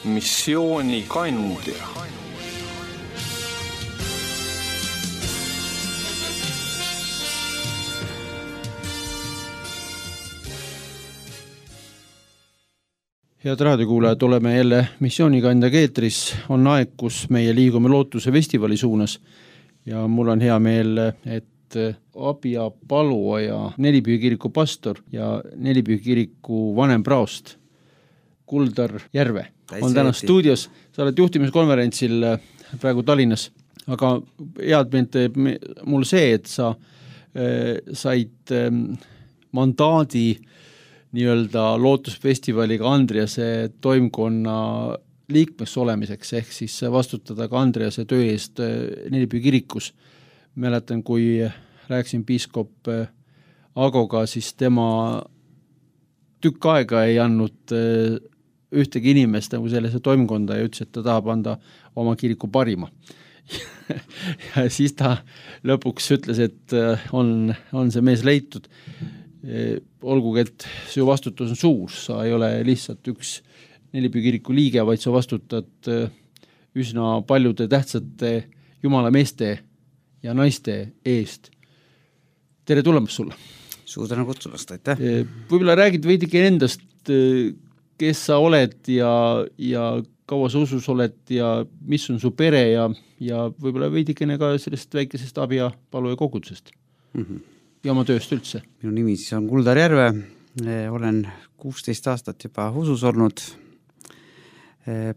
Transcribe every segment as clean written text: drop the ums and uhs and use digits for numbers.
missioonikandja. Head raadiokuulajad, oleme jälle missioonikandja keetris. On aeg, kus meie liigume Lootuse festivali suunas ja mul on hea meel, et Abja paluaja Nelipühi kiriku pastor ja Nelipühi kiriku vanem praost Kuldar Järve on täna stuudios. Sa oled juhtimiskonverentsil praegu Tallinnas, aga head meelt teeb mul see, et sa said mandaadi nii-öelda Lootusfestivaliga Andriase toimkonna liikmeks olemiseks, ehk siis vastutada ka Andriase töö eest Nelipühi kirikus. Mäletan, kui rääkisin piiskop Agoga, siis tema tükk aega ei andnud ühtegi inimest nagu sellesse toimkonda ja ütles, et ta tahab anda oma kiriku parima. Ja siis ta lõpuks ütles, et on see mees leitud. Olgugi, et su vastutus on suur, sa ei ole lihtsalt üks Nelipühi kiriku liige, vaid sa vastutad üsna paljude tähtsate jumala meeste ja naiste eest. Tere tulemast sulle! Suur tänu kutsumast, aitäh! Võib-olla räägid veidike endast, kes sa oled ja kaua sa usus oled ja mis on su pere ja võib-olla veidikene ka sellest väikesest Abja paluja kogudusest. Ja oma tööst üldse. Minu nimi siis on Kuldar Järve, olen 16 aastat juba usus olnud,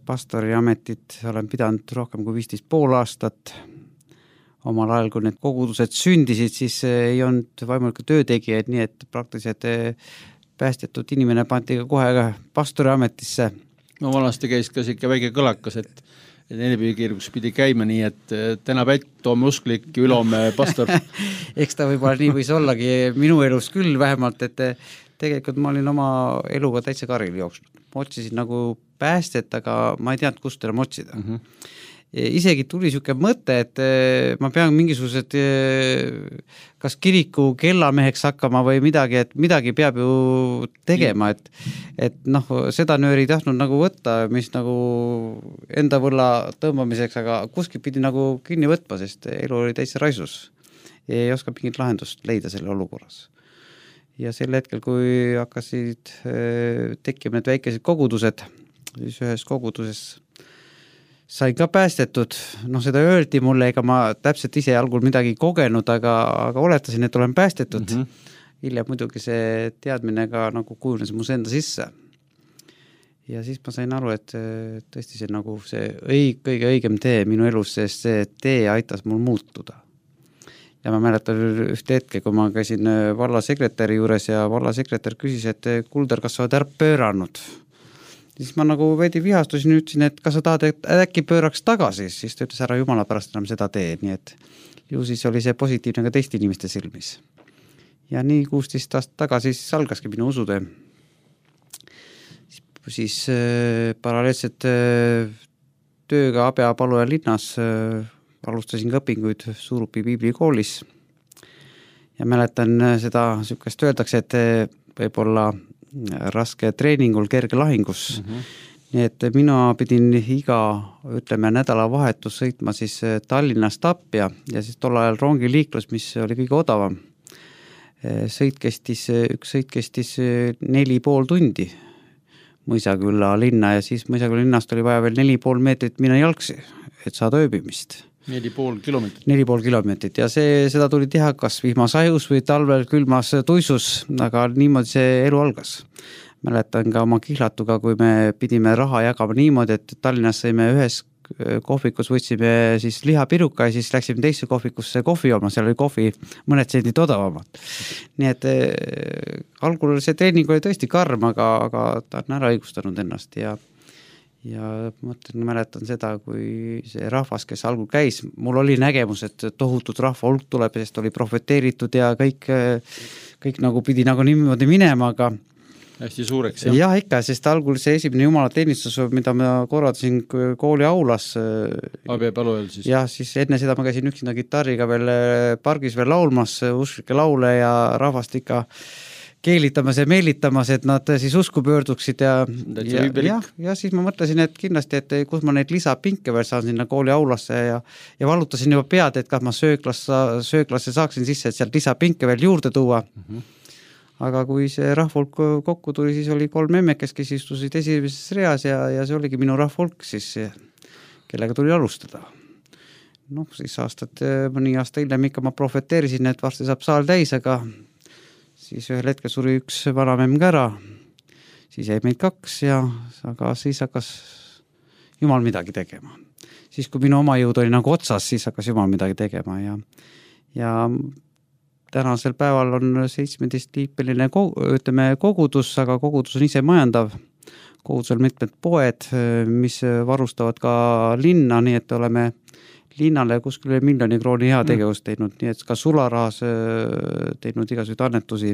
pastori ametit olen pidanud rohkem kui 15,5 aastat. Omal ajal, kui need kogudused sündisid, siis ei olnud võimalikke töötegijaid, nii et praktiliselt päästetud inimene pandi kohe pastori ametisse. No vanasti käis ka siuke väike kõlakas, et Nelipühi kirikus pidi käima nii, et täna pätt, toome usklik, ülome pastor. Eks ta võib-olla nii võis ollagi minu elus küll vähemalt, et tegelikult ma olin oma eluga täitsa karil jooksnud. Ma otsisin nagu päästet, aga ma ei teadnud, kust enam otsida. Isegi tuli siuke mõte, et ma pean mingisugused kas kiriku kellameheks hakkama või midagi, et midagi peab ju tegema, et seda nööri ei tahtnud nagu võtta, mis nagu enda võlla tõmbamiseks, aga kuskil pidi nagu kinni võtma, sest elu oli täitsa raisus. Ei oska mingit lahendust leida selle olukorras. Ja sel hetkel, kui hakkasid tekkima need väikesed kogudused, siis ühes koguduses sain ka päästetud, seda öeldi mulle, ega ma täpselt ise algul midagi kogenud, aga oletasin, et olen päästetud. Hiljem muidugi see teadmine ka nagu kujunes mu enda sisse. Ja siis ma sain aru, et tõesti see nagu see kõige õigem tee minu elus, sest see tee aitas mul muutuda. Ja ma mäletan ühte hetke, kui ma käisin vallasekretäri juures ja vallasekretär küsis, et Kuldar, kas sa oled ära pööranud? Siis ma nagu veidi vihastusin, ütlesin, et kas sa tahad, et äkki pööraks tagasi, siis ta ütles ära jumala pärast enam seda tee, nii et ju siis oli see positiivne ka teiste inimeste silmis. Ja nii 16 aastat tagasi siis algaski minu usutöö. Siis paralleelselt tööga Abja paluja linnas alustasin ka õpinguid Suurupi piiblikoolis ja mäletan seda sükest öeldakse, et võib-olla raske treeningul, kerge lahingus. Nii et mina pidin iga, nädalavahetus sõitma siis Tallinnast Abja ja siis tol ajal rongiliiklus, mis oli kõige odavam. Üks sõit kestis 4,5 tundi Mõisakülla linna ja siis Mõisakülla linnast oli vaja veel 4,5 meetrit minna jalgsi, et saada ööbimist. 4,5 kilomeetrit. 4,5 kilomeetrit ja seda tuli teha kas vihmasajus või talvel külmas tuisus, aga niimoodi see elu algas. Mäletan ka oma kihlatuga, kui me pidime raha jagama niimoodi, et Tallinnas saime ühes kohvikus, võtsime siis lihapiruka ja siis läksime teisse kohvikusse kohvi jooma, seal oli kohvi mõned sendid odavamad. Nii et algul see treening oli tõesti karm, aga ta on ära õigustanud ennast ja mäletan seda, kui see rahvas, kes algul käis, mul oli nägemus, et tohutud rahva hulk tuleb, sest oli profeteeritud ja kõik nagu pidi nagu niimoodi minema, aga hästi suureks, jah? Jah, ikka, sest algul see esimene jumalateenistus, mida ma korraldasin kooli aulas. Abja palujal siis? Jah, siis enne seda ma käisin üksinda kitarriga veel pargis veel laulmas, usklikke laule ja rahvast ikka keelitamas ja meelitamas, et nad siis usku pöörduksid ja siis ma mõtlesin, et kindlasti, et kus ma neid lisapinke veel saan sinna kooli aulasse ja valutasin juba pead, et kas ma sööklasse saaksin sisse, et sealt lisapinke veel juurde tuua. Aga kui see rahvulk kokku tuli, siis oli 3 emmekest, kes istusid esimeses reas ja see oligi minu rahvulk siis, kellega tuli alustada. Siis mõni aasta hiljem ikka ma profeteerisin, et varsti saab saal täis, aga siis ühel hetkel suri üks vanamemm ka ära, siis jäi meid 2 aga siis hakkas Jumal midagi tegema. Siis kui minu oma jõud oli nagu otsas, siis hakkas Jumal midagi tegema ja tänasel päeval on 17-liipeline kogudus, aga kogudus on ise majandav. Kogudusel mitmed poed, mis varustavad ka linna, nii et oleme linnale kuskil 1 miljoni krooni hea tegevust teinud, nii et ka sularahas teinud igasuguseid annetusi.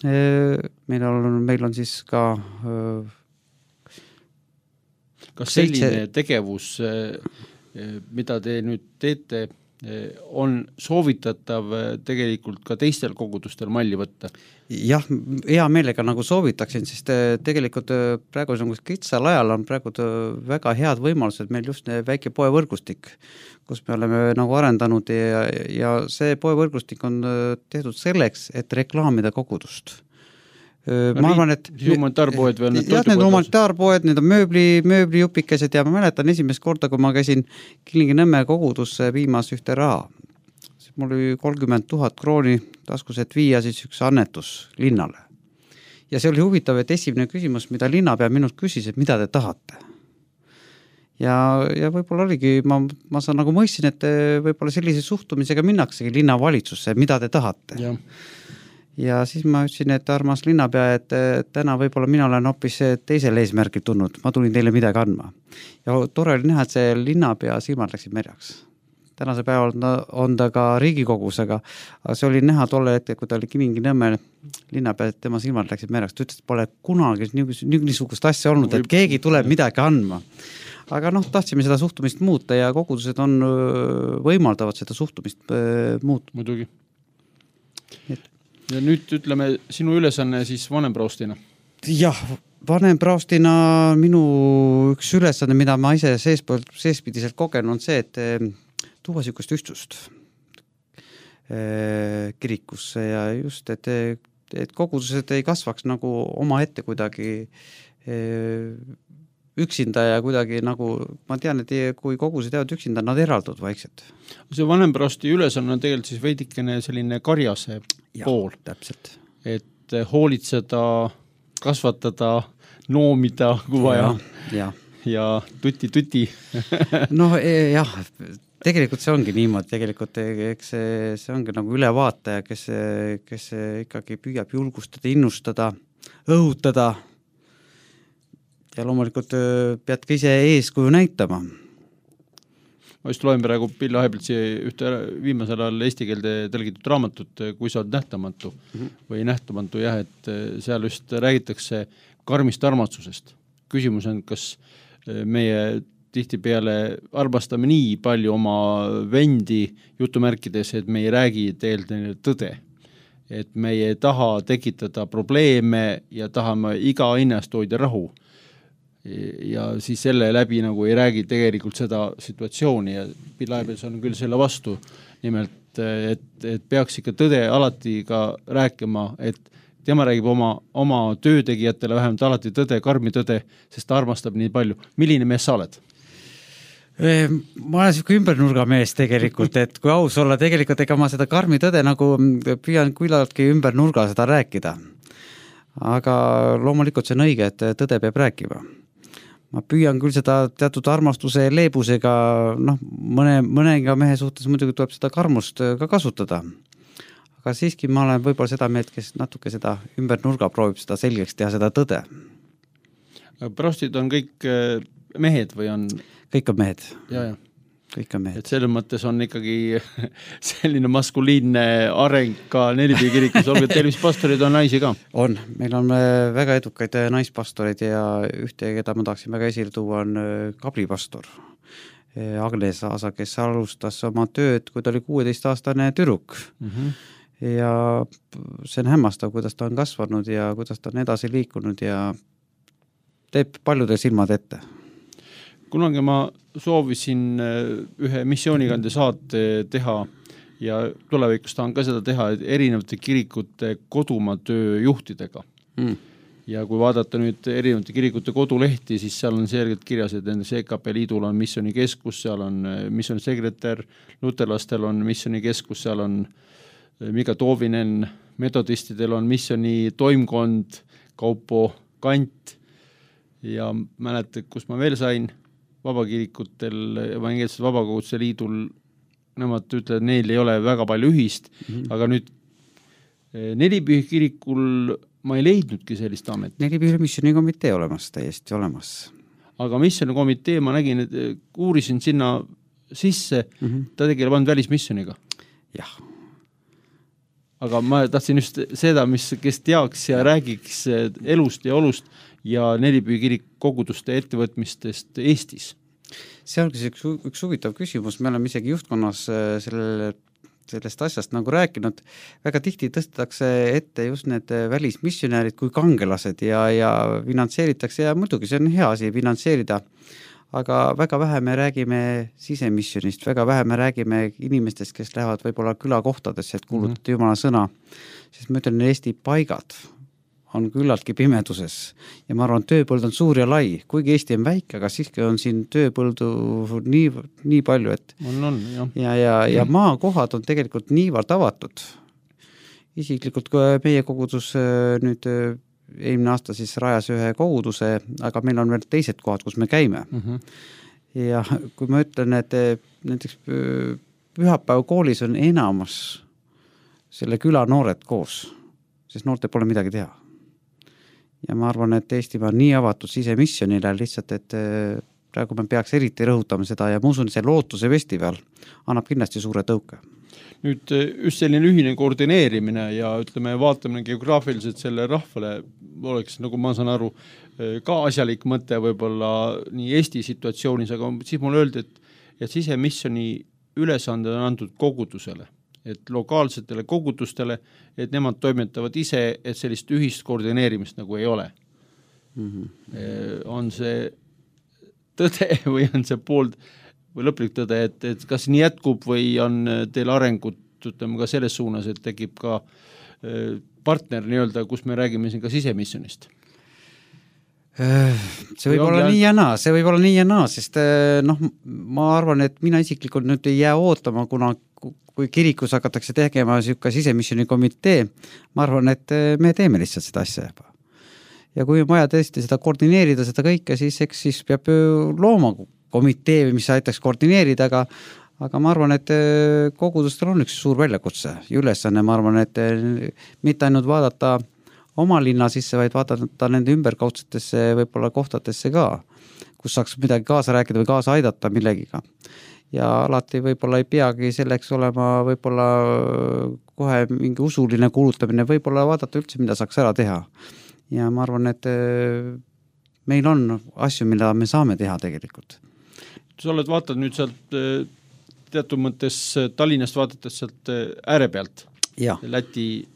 Meil on siis ka kas selline tegevus, mida te nüüd teete, on soovitatav tegelikult ka teistel kogudustel malli võtta? Jah, hea meelega nagu soovitaksin, sest tegelikult praegu kitsal ajal on praegu väga head võimalused meil just väike poevõrgustik, kus me oleme nagu arendanud ja see poevõrgustik on tehtud selleks, et reklaamida kogudust. Ma arvan, et humanitaarpoed või need toidupoed? Need humanitaarpoed, need on mööblijupikesed ja ma mäletan esimest korda, kui ma käisin Kilingi-Nõmme kogudusse viimas ühte raha. Mul oli 30 000 krooni taskus, et viia siis üks annetus linnale. Ja see oli huvitav, et esimene küsimus, mida linnapea minult küsis, et mida te tahate. Ja võib-olla oligi, ma saan nagu mõistsin, et võib-olla sellise suhtumisega minnaksegi linnavalitsusse, mida te tahate. Ja siis ma ütlesin, et armas linnapea, et täna võib-olla mina olen hoopis teisel eesmärgil tulnud, ma tulin teile midagi andma. Ja tore oli näha, et see linnapea silmad läksid merjaks. Tänase päeval on ta ka Riigikogus, aga see oli näha tolle hetke, kui ta oli Kilingi-Nõmme linnapea, et tema silmad läksid merjaks. Ta ütles, et pole kunagi niisugust asja olnud, et keegi tuleb midagi andma. Aga tahtsime seda suhtumist muuta ja kogudused võimaldavad seda suhtumist muuta. Muidugi. Ja nüüd ütleme sinu ülesanne siis vanempraostina. Jah, vanempraostina minu üks ülesanne, mida ma ise seespidiselt kogen, on see, et tuua niisugust ühtsust kirikusse ja just, et kogudused ei kasvaks nagu oma ette kuidagi üksinda ja kuidagi nagu, ma tean, et kui kogused jäävad üksinda, nad eraldud vaikselt. See vanempraosti ülesanne on tegelikult siis veidikene selline karjase pool. Täpselt. Et hoolitseda, kasvatada, noomida, kui vaja ja tuti. Jah, tegelikult see ongi niimoodi, tegelikult eks see ongi nagu ülevaataja, kes ikkagi püüab julgustada, innustada, õhutada ja loomulikult pead ka ise eeskuju näitama. Ma just loen praegu Pilli Aheplitsi ühte viimasel ajal eesti keelde tõlgitud raamatut, kui sa oled nähtamatu või nähtamatu, et seal just räägitakse karmist armastusest. Küsimus on, kas meie tihtipeale armastame nii palju oma vendi jutumärkides, et me ei räägi tegelikult tõde. Et me ei taha tekitada probleeme ja tahame iga hinnast hoida rahu. Ja siis selle läbi nagu ei räägi tegelikult seda situatsiooni ja Pilaebes on küll selle vastu nimelt, et peaks ikka tõde alati ka rääkima, et tema räägib oma töötegijatele vähemalt alati tõde, karmi tõde, sest ta armastab nii palju. Milline mees sa oled? Ma olen siuke ümbernurga mees tegelikult, et kui aus olla, tegelikult ega ma seda karmi tõde nagu püüan küllaltki ümbernurga seda rääkida. Aga loomulikult see on õige, et tõde peab rääkima. Ma püüan küll seda teatud armastuse leebusega, mõnega mehe suhtes muidugi tuleb seda karmust ka kasutada. Aga siiski ma olen võib-olla seda meelt, kes natuke seda ümbernurga proovib seda selgeks teha, seda tõde. Prostid on kõik mehed või on? Kõik on mehed. Ja. Kõik on mehed. Et selles mõttes on ikkagi selline maskuliinne areng ka Nelipea kirikus, olgu tervispastorid on naisi ka? On, meil on väga edukaid naispastorid ja ühte, keda ma tahaksin väga esile tuua, on kablipastor Agnes Aasa, kes alustas oma tööd, kui ta oli 16-aastane tüdruk. ja see on hämmastav, kuidas ta on kasvanud ja kuidas ta on edasi liikunud ja teeb paljude silmad ette. Kunagi ma soovisin ühe missioonigande saate teha ja tulevikus tahan ka seda teha erinevate kirikute kodumaa töö juhtidega. Ja kui vaadata nüüd erinevate kirikute kodulehti, siis seal on selgelt kirjas, et nendes EKP liidul on missioonikeskus, seal on missioonisekretär, luterlastel on missioonikeskus, seal on Mika Toovinen, metodistidel on missiooni toimkond, Kaupo Kant ja mäletad, kus ma veel sain, vabakirikutel, evangeelsel vabakoguduse liidul, nemad ütlevad, neil ei ole väga palju ühist, aga nüüd Nelipühi kirikul ma ei leidnudki sellist amet. Nelipühi missioonikomitee olemas, täiesti olemas. Aga missioonikomitee, ma nägin, et uurisin sinna sisse, ta tegeleb ainult välismissiooniga. Jah. Aga ma tahtsin just seda, kes teaks ja räägiks elust ja olust ja Nelipühi kirik koguduste ettevõtmistest Eestis. See ongi üks huvitav küsimus, me oleme isegi juhtkonnas sellest asjast nagu rääkinud, väga tihti tõstetakse ette just need välismissionäärid kui kangelased ja finantseeritakse ja muidugi see on hea asi finantseerida, aga väga vähe me räägime sisemissionist, väga vähe me räägime inimestest, kes lähevad võib-olla külakohtadesse, et kuulutada Jumala sõna, sest ma ütlen, Eesti paigad on küllaltki pimeduses ja ma arvan, tööpõld on suur ja lai, kuigi Eesti on väike, aga siiski on siin tööpõldu nii palju, et ja maakohad on tegelikult niivõrd avatud. Isiklikult kui meie kogudus nüüd eelmine aasta siis rajas ühe koguduse, aga meil on veel teised kohad, kus me käime. Ja kui ma ütlen, et näiteks pühapäeva koolis on enamus selle küla noored koos, sest noorte pole midagi teha. Ja ma arvan, et Eestimaa on nii avatud sisemissionile lihtsalt, et praegu me peaks eriti rõhutama seda ja ma usun, see lootuse festival annab kindlasti suure tõuke. Nüüd just selline ühine koordineerimine ja ütleme, vaatame geograafiliselt selle rahvale oleks, nagu ma saan aru, ka asjalik mõte võib-olla nii Eesti situatsioonis, aga siis mul öeldi, et sisemissioni ülesanded on antud kogudusele, et lokaalsetele kogudustele, et nemad toimetavad ise, et sellist ühist koordineerimist nagu ei ole. On see tõde või on see poolt või lõplik tõde, et kas nii jätkub või on teil arengut, ütleme ka selles suunas, et tekib ka partner nii-öelda, kus me räägime siin ka sisemissionist? See võib olla nii ja naa, sest ma arvan, et mina isiklikult nüüd ei jää ootama, kuna kui kirikus hakatakse tegema siuke sisemissiooni komitee, ma arvan, et me teeme lihtsalt seda asja juba. Ja kui on vaja tõesti seda koordineerida, seda kõike, siis peab looma komitee, mis aitaks koordineerida, aga ma arvan, et kogudustel on üks suur väljakutse ja ülesanne, ma arvan, et mitte ainult vaadata oma linna sisse, vaid vaadata nende ümberkaudsetesse võib-olla kohtadesse ka, kus saaks midagi kaasa rääkida või kaasa aidata millegiga. Ja alati võib-olla ei peagi selleks olema võib-olla kohe mingi usuline kuulutamine, võib-olla vaadata üldse, mida saaks ära teha. Ja ma arvan, et meil on asju, mida me saame teha tegelikult. Sa oled vaatad nüüd sealt teatud mõttes Tallinnast vaadates sealt ääre pealt. Ja. Läti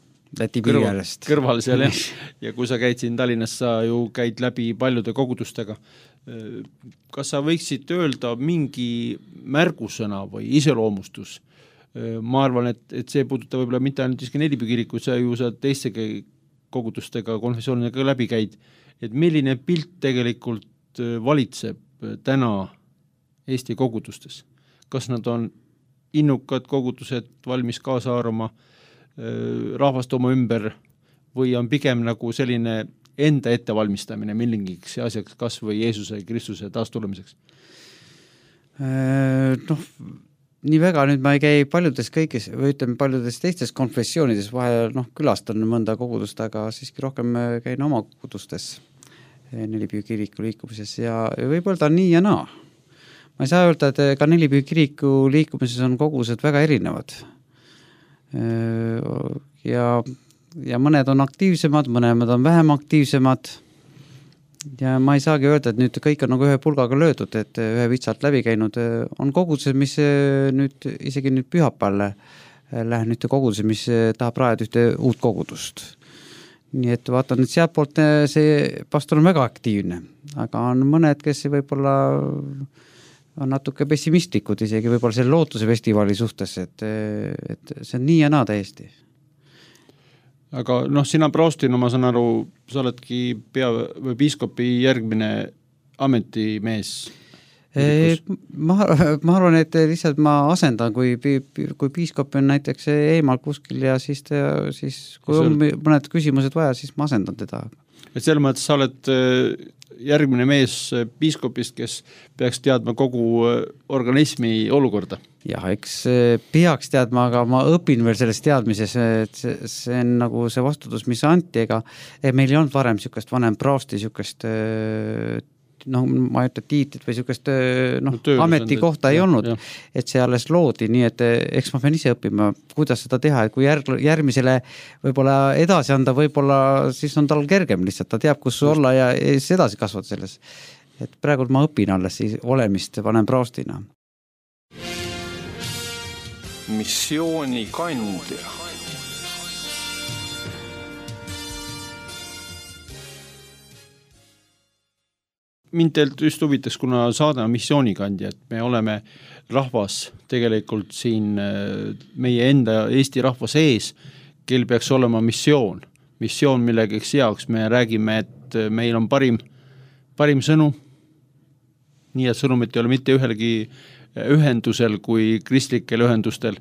kõrval seal ja kui sa käid siin Tallinnas, sa ju käid läbi paljude kogudustega. Kas sa võiksid öelda mingi märgusõna või iseloomustus? Ma arvan, et see puudutab võib-olla mitte ainult iski Nelipühi kirikut, sa ju sa teiste kogudustega, konfessioonidega läbi käid, et milline pilt tegelikult valitseb täna Eesti kogudustes? Kas nad on innukad kogudused, valmis kaasa arvama rahvast oma ümber või on pigem nagu selline enda ettevalmistamine millingiks asjaks kas või Jeesuse Kristuse taastulemiseks? Nii väga nüüd ma ei käi paljudes kõigis, või ütleme paljudes teistes konfessioonides, vahel külastan mõnda kogudust, aga siiski rohkem käin oma kogudustes Nelipühi kiriku liikumises ja võib öelda nii ja naa. Ma ei saa öelda, et ka Nelipühi kiriku liikumises on kogudused väga erinevad. Ja mõned on aktiivsemad, mõned on vähem aktiivsemad ja ma ei saagi öelda, et nüüd kõik on nagu ühe pulgaga löödud, et ühe vitsalt läbi käinud. On kogudused, mis nüüd isegi nüüd pühapäeval lähen ühte kogudusse, mis tahab rajada ühte uut kogudust. Nii et vaatan, et sealt poolt see pastor on väga aktiivne, aga on mõned, kes võib-olla on natuke pessimistlikud isegi võib-olla selle lootuse festivali suhtes, et see on nii ja naa täiesti. Aga sina praostina, ma saan aru, sa oledki või piiskopi järgmine ametimees. Ma arvan, et lihtsalt ma asendan, kui piiskop on näiteks eemal kuskil ja siis kui on mõned küsimused vaja, siis ma asendan teda. Et selles mõttes sa oled järgmine mees piiskopist, kes peaks teadma kogu organismi olukorda. Jah, eks peaks teadma, aga ma õpin veel selles teadmises, et see on nagu see vastutus, mis anti, ega meil ei olnud varem niisugust vanem praosti, niisugust ma ei ütle tiitlit või niisugust ametikohta ei olnud, et see alles loodi, nii et eks ma pean ise õppima, kuidas seda teha, et kui järgmisele võib-olla edasi anda, võib-olla siis on tal kergem lihtsalt, ta teab, kus olla ja siis edasi kasvada selles. Et praegu ma õpin alles siis olemist vanem praostina. Missioonikandja. Mind teilt just huvitaks, kuna saade on missioonikandja, et me oleme rahvas tegelikult siin meie enda Eesti rahva sees, kel peaks olema missioon, millegeks heaks. Me räägime, et meil on parim sõnu, nii et sõnumit ei ole mitte ühelgi ühendusel kui kristlikel ühendustel,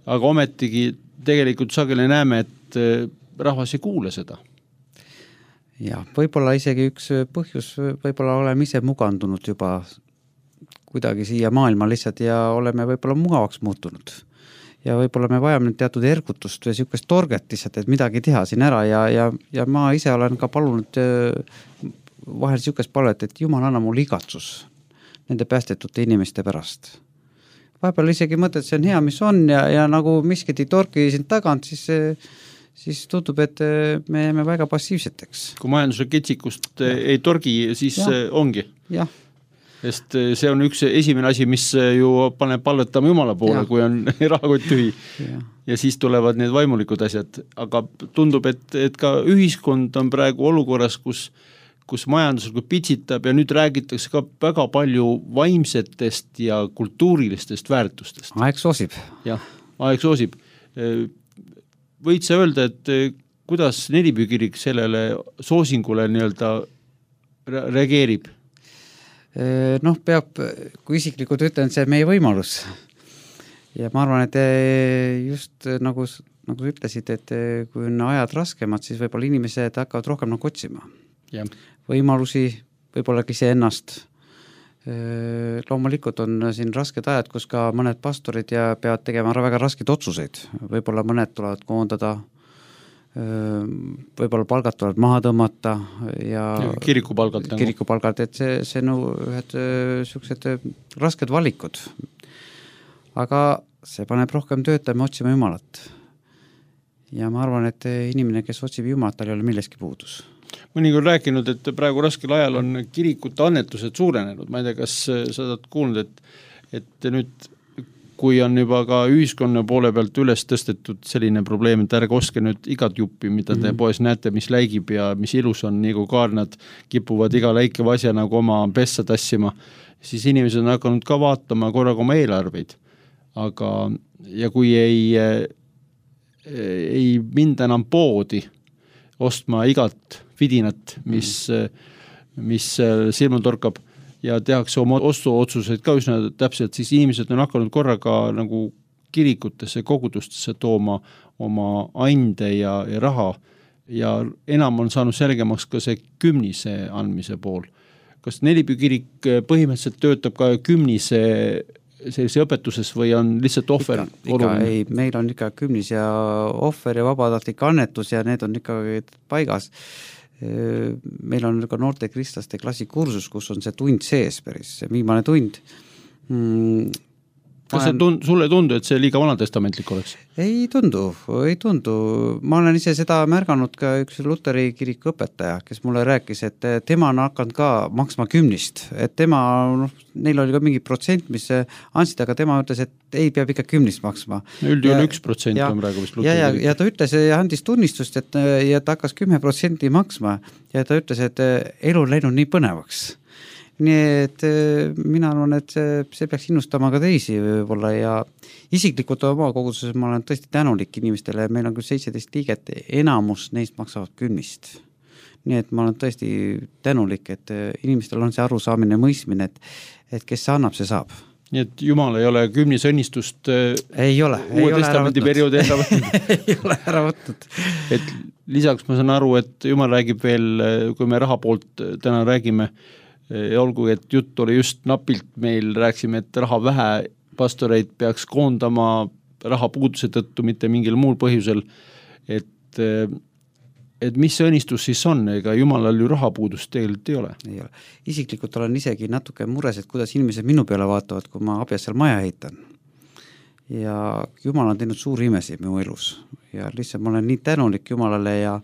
aga ometigi tegelikult sageli näeme, et rahvas ei kuule seda. Ja, võib-olla isegi üks põhjus, võib-olla oleme ise mugandunud juba kuidagi siia maailma lihtsalt ja oleme võib-olla mugavaks muutunud. Ja võib-olla me vajame teatud ergutust või niisugust torget lihtsalt, et midagi teha siin ära ja ma ise olen ka palunud vahel niisugust palvet, et Jumal anna mul igatsus nende päästetute inimeste pärast. Vahepeal isegi mõtled, see on hea, mis on ja nagu miskit ei torki siin tagant, siis tundub, et me jääme väga passiivseteks. Kui majanduse ketsikust ei torgi, siis ongi. Jah. Sest see on üks esimene asi, mis ju paneb palvetama Jumala poole, kui on rahakott tühi. Ja siis tulevad need vaimulikud asjad. Aga tundub, et ka ühiskond on praegu olukorras, kus majanduslikult pitsitab ja nüüd räägitakse ka väga palju vaimsetest ja kultuurilistest väärtustest. Aeg soosib. Jah, aeg soosib. Võid sa öelda, et kuidas Nelipüü kirik sellele soosingule nii-öelda reageerib? Peab, kui isiklikult ütlen, see on meie võimalus. Ja ma arvan, et just nagu ütlesid, et kui on ajad raskemad, siis võib-olla inimesed hakkavad rohkem nagu otsima. Ja. Võimalusi, võib-olla ise ennast. Loomulikult on siin rasked ajad, kus ka mõned pastorid peavad tegema väga rasked otsuseid. Võib-olla mõned tulevad koondada, võib-olla palgad tulevad maha tõmmata ja kirikupalgad, et see ühed niisugused rasked valikud. Aga see paneb rohkem töötama otsima Jumalat. Ja ma arvan, et inimene, kes otsib Jumalat, tal ei ole milleski puudus. Mõni on rääkinud, et praegu raskel ajal on kirikute annetused suurenenud. Ma ei tea, kas sa oled kuulnud, et nüüd, kui on juba ka ühiskonna poole pealt üles tõstetud selline probleem, et ärge ostke nüüd igat juppi, mida te poes näete, mis läigib ja mis ilus on, nii kui kaarnad kipuvad iga läikeva asja nagu oma pessa tassima, siis inimesed on hakanud ka vaatama korraga oma eelarveid. Aga, ja kui ei minda enam poodi ostma igat vidinat, mis silma torkab ja tehakse oma ostuotsuseid ka üsna täpselt, siis inimesed on hakanud korraga nagu kirikutesse, kogudustesse tooma oma ande ja raha ja enam on saanud selgemaks ka see kümnise andmise pool. Kas Nelipüü kirik põhimõtteliselt töötab ka kümnise sellise õpetuses või on lihtsalt ohver oluline? Ei, meil on ikka kümnis ja ohver ja vabatahtlik annetus ja need on ikka paigas. Meil on ka noorte kristlaste klassikursus, kus on see tund sees päris, see viimane tund. kas sulle ei tundu, et see liiga vanatestamentlik oleks? Ei tundu. Ma olen ise seda märganud ka üks Luteri kiriku õpetaja, kes mulle rääkis, et tema on hakanud ka maksma 10, et tema, neil oli ka mingi protsent, mis andsid, aga tema ütles, et ei peab ikka 10 maksma. Üldjuhul 1% on praegu vist Luteri kirik. Ja ta ütles ja andis tunnistust, et ja ta hakkas 10% maksma ja ta ütles, et elu on läinud nii põnevaks. Nii et mina arvan, et see peaks innustama ka teisi võib-olla ja isiklikult oma koguduses ma olen tõesti tänulik inimestele, meil on küll 17 liiget, enamus neist maksavad 10. Nii et ma olen tõesti tänulik, et inimestel on see arusaamine ja mõistmine, et kes annab, see saab. Nii et Jumal ei ole 10 õnnistust uue testamendi perioodi ära võtnud. Ei ole ära võtnud. Et lisaks ma saan aru, et Jumal räägib veel, kui me raha poolt täna räägime, olgu, et jutt oli just napilt, meil rääksime, et raha vähe, pastoreid peaks koondama raha puuduse tõttu, mitte mingil muul põhjusel, et mis see õnnistus siis on, ega Jumalal ju rahapuudust tegelikult ei ole. Ei ole. Isiklikult olen isegi natuke mures, et kuidas inimesed minu peale vaatavad, kui ma Abjassal maja ehitan. Ja Jumal on teinud suuri imesid minu elus ja lihtsalt ma olen nii tänulik Jumalale ja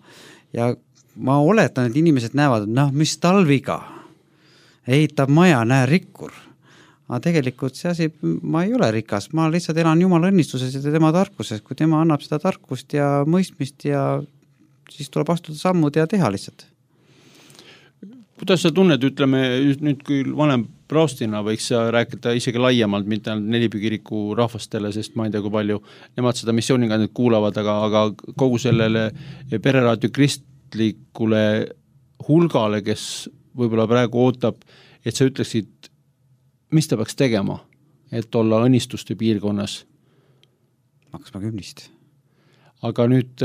ma oletan, et inimesed näevad, mis talviga ehitab maja, näe rikkur. Aga tegelikult see asi, ma ei ole rikas, ma lihtsalt elan Jumala õnnistuses ja tema tarkuses, kui tema annab seda tarkust ja mõistmist ja siis tuleb astuda sammud ja teha lihtsalt. Kuidas sa tunned, ütleme, nüüd kui vanem praostina võiks sa rääkida isegi laiemalt, mitte Nelipüü kiriku rahvastele, sest ma ei tea, kui palju nemad seda missiooniga nüüd kuulavad, aga kogu sellele pereraadio kristlikule hulgale, kes võib-olla praegu ootab, et sa ütleksid, mis ta peaks tegema, et olla õnnistuste piirkonnas? Maksma 10. Aga nüüd,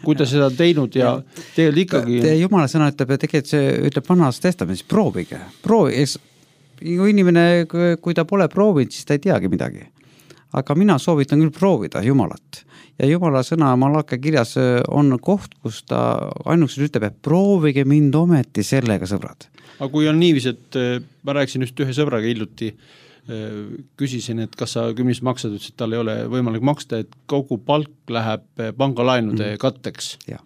kui ta seda teinud ja tegelikult ikkagi... Jumala sõna ütleb, ja tegelikult see ütleb vanas testamendis, proovige. Kui inimene, kui ta pole proovinud, siis ta ei teagi midagi. Aga mina soovitan küll proovida Jumalat. Ja Jumala sõna Malakia kirjas on koht, kus ta ainuks ütleb, et proovige mind ometi sellega, sõbrad. Aga kui on niivis, et ma rääkisin just ühe sõbraga hiljuti, küsisin, et kas sa 10 maksad, ütles, et tal ei ole võimalik maksta, et kogu palk läheb pangalaenude katteks. Ja.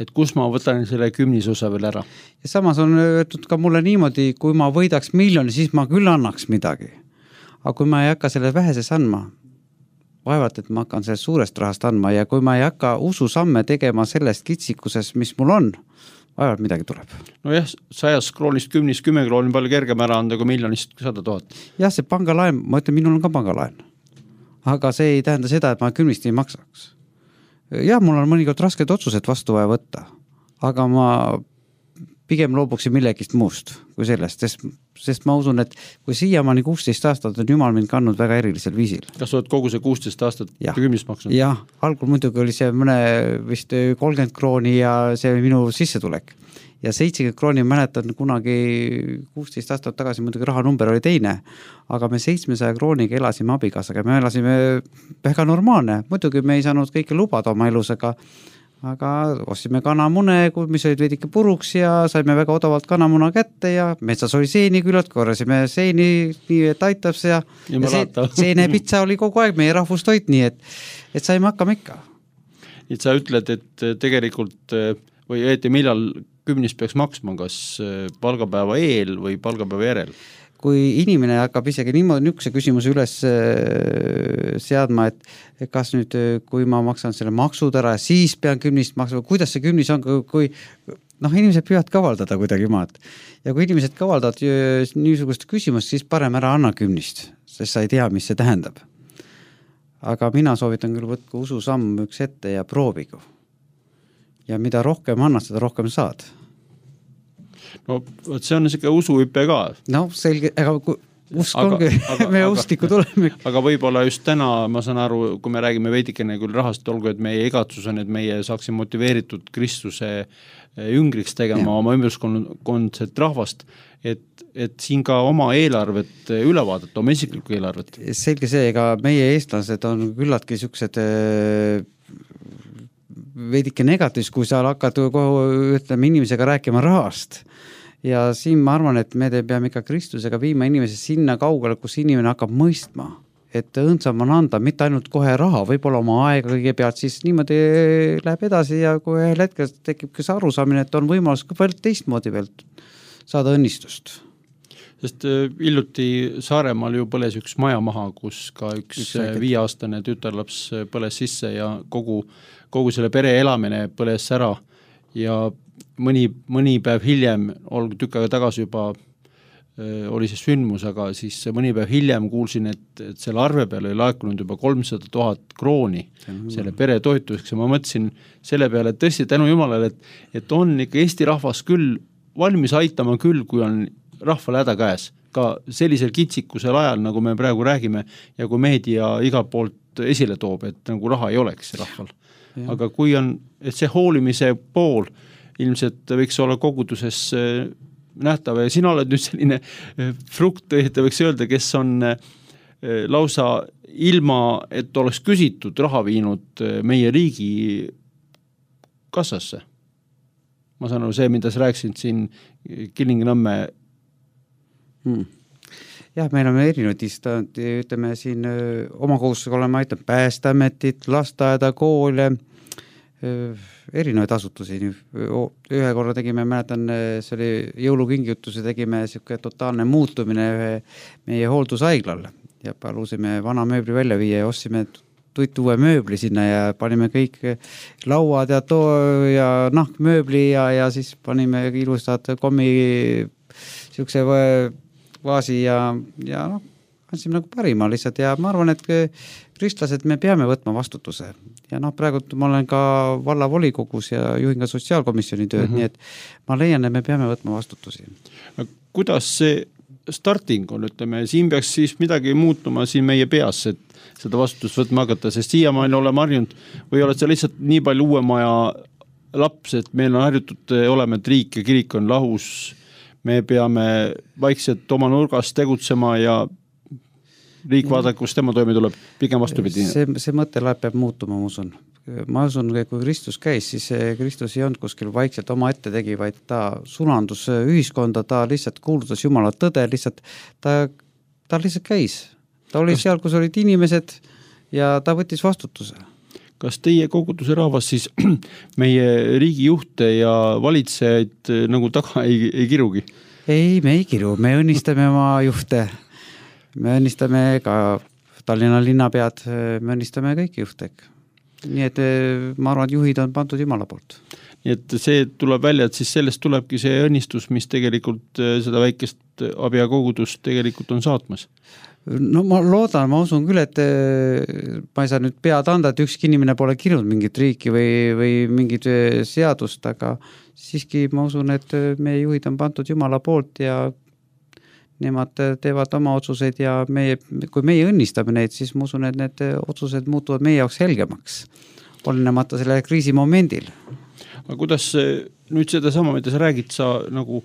Et kus ma võtan selle 10 osa veel ära? Ja samas on öeldud ka mulle niimoodi, kui ma võidaks 1 miljoni, siis ma küll annaks midagi. Aga kui ma ei hakka selle väheses andma, vaevalt, et ma hakkan sellest suurest rahast andma ja kui ma ei hakka ususamme tegema sellest kitsikuses, mis mul on, vaevalt midagi tuleb. No jah, 100 kroonist 10 krooni palju kergem ära anda kui miljonist 100 000. Jah, see pangalaen, ma ütlen, minul on ka pangalaen. Aga see ei tähenda seda, et ma 10 ei maksaks. Jah, mul on mõnikord rasked otsused vastu vaja võtta, aga ma pigem loobuksin millegist muust kui sellest, sest ma usun, et kui siiamaani 16 aastat on Jumal mind kandnud väga erilisel viisil. Kas oled kogu see 16 aastat 10 maksnud? Jah, algul muidugi oli see mõne vist 30 krooni ja see oli minu sissetulek. Ja 70 krooni mäletan kunagi 16 aastat tagasi, muidugi rahanumber oli teine, aga me 700 krooniga elasime abikaasaga, me elasime väga normaalne, muidugi me ei saanud kõike lubada oma elus, aga ostsime kanamune, mis olid veidike puruks ja saime väga odavalt kanamuna kätte ja metsas oli seeni küllalt, korrasime seeni nii, et aitab see ja seenepitsa oli kogu aeg meie rahvustoit, nii et saime hakkama ikka. Et sa ütled, et tegelikult või õieti millal 10 peaks maksma, kas palgapäeva eel või palgapäeva järel? Kui inimene hakkab isegi niimoodi nükse küsimuse üles seadma, et kas nüüd, kui ma maksan selle maksud ära, siis pean 10 maksma, kuidas see 10 on, kui inimesed püüavad kavaldada kuidagi maad. Ja kui inimesed kavaldavad niisugust küsimust, siis parem ära anna 10, sest sa ei tea, mis see tähendab. Aga mina soovitan küll võtku ususamm üks ette ja proovigu. Ja mida rohkem annad, seda rohkem saad. No, see on siuke usuhüpe ka. No, selge, aga usk ongi, me ustiku tuleme. Aga võib-olla just täna, ma saan aru, kui me räägime veidikene küll rahast, olgu, et meie igatsus on, et meie saaksime motiveeritud Kristuse jüngriks tegema oma ümberskondset rahvast, et siin ka oma eelarvet üle vaadata, oma isiklikku eelarvet. Selge see, ega meie eestlased on küllatki siuksed veidike negatiivs, kui sa hakkad ütleme inimesega rääkima rahast. Ja siin ma arvan, et me peame ikka Kristusega viima inimese sinna kaugele, kus inimene hakkab mõistma, et õõnsam on anda mitte ainult kohe raha, võib-olla oma aega kõigepealt, siis niimoodi läheb edasi ja kui ühel hetkel tekib ka see arusaamine, et on võimalus ka veel teistmoodi veel saada õnnistust. Sest hiljuti Saaremaal ju põles üks maja maha, kus ka üks 5-aastane tütarlaps põles sisse ja kogu selle pere elamine põles ära ja mõni päev hiljem, tükk aega tagasi juba oli see sündmus, aga siis mõni päev hiljem kuulsin, et selle arve peale oli laekunud juba 300 000 krooni selle pere toetuseks ja ma mõtlesin selle peale, et tõesti tänu Jumalale, et on ikka Eesti rahvas küll valmis aitama küll, kui on rahval häda käes, ka sellisel kitsikusel ajal, nagu me praegu räägime ja kui meedia igalt poolt esile toob, et nagu raha ei oleks rahval. Ja. Aga kui on, et see hoolimise pool ilmselt võiks olla koguduses nähtav ja sina oled nüüd selline frukt, võiks öelda, kes on lausa ilma, et oleks küsitud raha viinud meie riigi kassasse. Ma saan aru see, mida sa rääkisid siin Kilingi-Nõmme. Jah, meil on erinevad ütleme siin oma kohustusega oleme aitanud Päästeametit, lasteaeda, koole, erinevaid asutusi. Ühe korra tegime, mäletan, see oli jõulukingituse, tegime selline totaalne muutumine meie hooldusaiglal ja palusime vana mööbli välja viia ja ostsime uue mööbli sinna ja panime kõik lauad ja nahkmööbli ja siis panime ilusad kommi siukse vaasi ja andsime nagu parima lihtsalt ja ma arvan, et kristlased me peame võtma vastutuse ja praegu ma olen ka vallavolikogus ja juhin ka sotsiaalkomisjoni tööd, nii et ma leian, et me peame võtma vastutusi. Kuidas see starting on, ütleme, siin peaks siis midagi muutuma siin meie peas, et seda vastutust võtma hakata, sest siiamaani oleme harjunud või oled sa lihtsalt nii palju uue maja laps, et meil on harjutud olema, et riik ja kirik on lahus, me peame vaikselt oma nurgas tegutsema ja riik vaadata, kus tema toime tuleb, pigem vastupidi. See mõttelaad peab muutuma, ma usun, kui Kristus käis, siis Kristus ei olnud kuskil vaikselt oma ette tegi, vaid ta sulandus ühiskonda, ta lihtsalt kuulutas Jumala tõde, lihtsalt ta lihtsalt käis. Ta oli seal, kus olid inimesed ja ta võttis vastutuse. Kas teie koguduse rahvas siis meie riigijuhte ja valitsejaid nagu taga ei kirugi? Ei, me ei kiru, me õnnistame oma juhte. Me õnnistame ka Tallinna linnapead, me õnnistame kõiki juhtega. Nii et ma arvan, et juhid on pandud Jumala poolt. Nii et see tuleb välja, et siis sellest tulebki see õnnistus, mis tegelikult seda väikest abia kogudust tegelikult on saatmas. No ma loodan, ma usun küll, et ma ei saa nüüd pead anda, et ükski inimene pole kirunud mingit riiki või mingit seadust, aga siiski ma usun, et meie juhid on pandud Jumala poolt ja nemad teevad oma otsuseid ja kui meie õnnistame neid, siis ma usun, et need otsused muutuvad meie jaoks helgemaks, olenemata selle kriisi momendil. Aga kuidas nüüd seda sama, mida sa räägid, sa nagu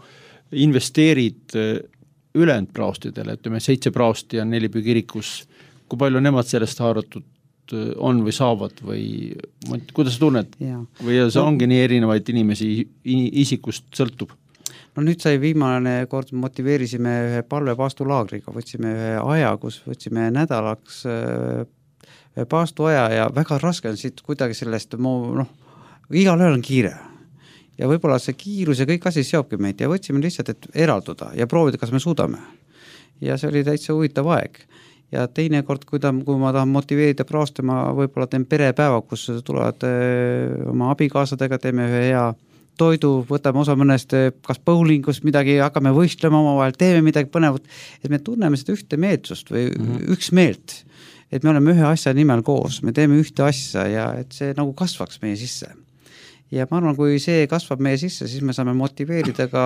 investeerid ülejäänud praostidele, ütleme 7 praosti ja 4 kirikus, kui palju nemad sellest haaratud on või saavad või kuidas sa tunned? Või see ongi nii erinevaid inimesi isikust sõltub? No nüüd sai viimane kord motiveerisime ühe palvepaastulaagriga, võtsime ühe aja, kus võtsime nädalaks paastuaja ja väga raske on siit kuidagi sellest, igal ööl on kiire. Ja võib-olla see kiirus ja kõik asi seobki meid ja võtsime lihtsalt, et eralduda ja proovida, kas me suudame. Ja see oli täitsa huvitav aeg. Ja teine kord, kui ma tahan motiveerida praoste, ma võib-olla teen perepäeva, kus tulevad oma abikaasadega, teeme ühe hea toidu, võtame osa mõnest kas bowlingust midagi, hakkame võistlema omavahel, teeme midagi põnevat, et me tunneme seda ühte meelsust või üks meelt, et me oleme ühe asja nimel koos, me teeme ühte asja ja et see nagu kasvaks meie sisse. Ja ma arvan, kui see kasvab meie sisse, siis me saame motiveerida ka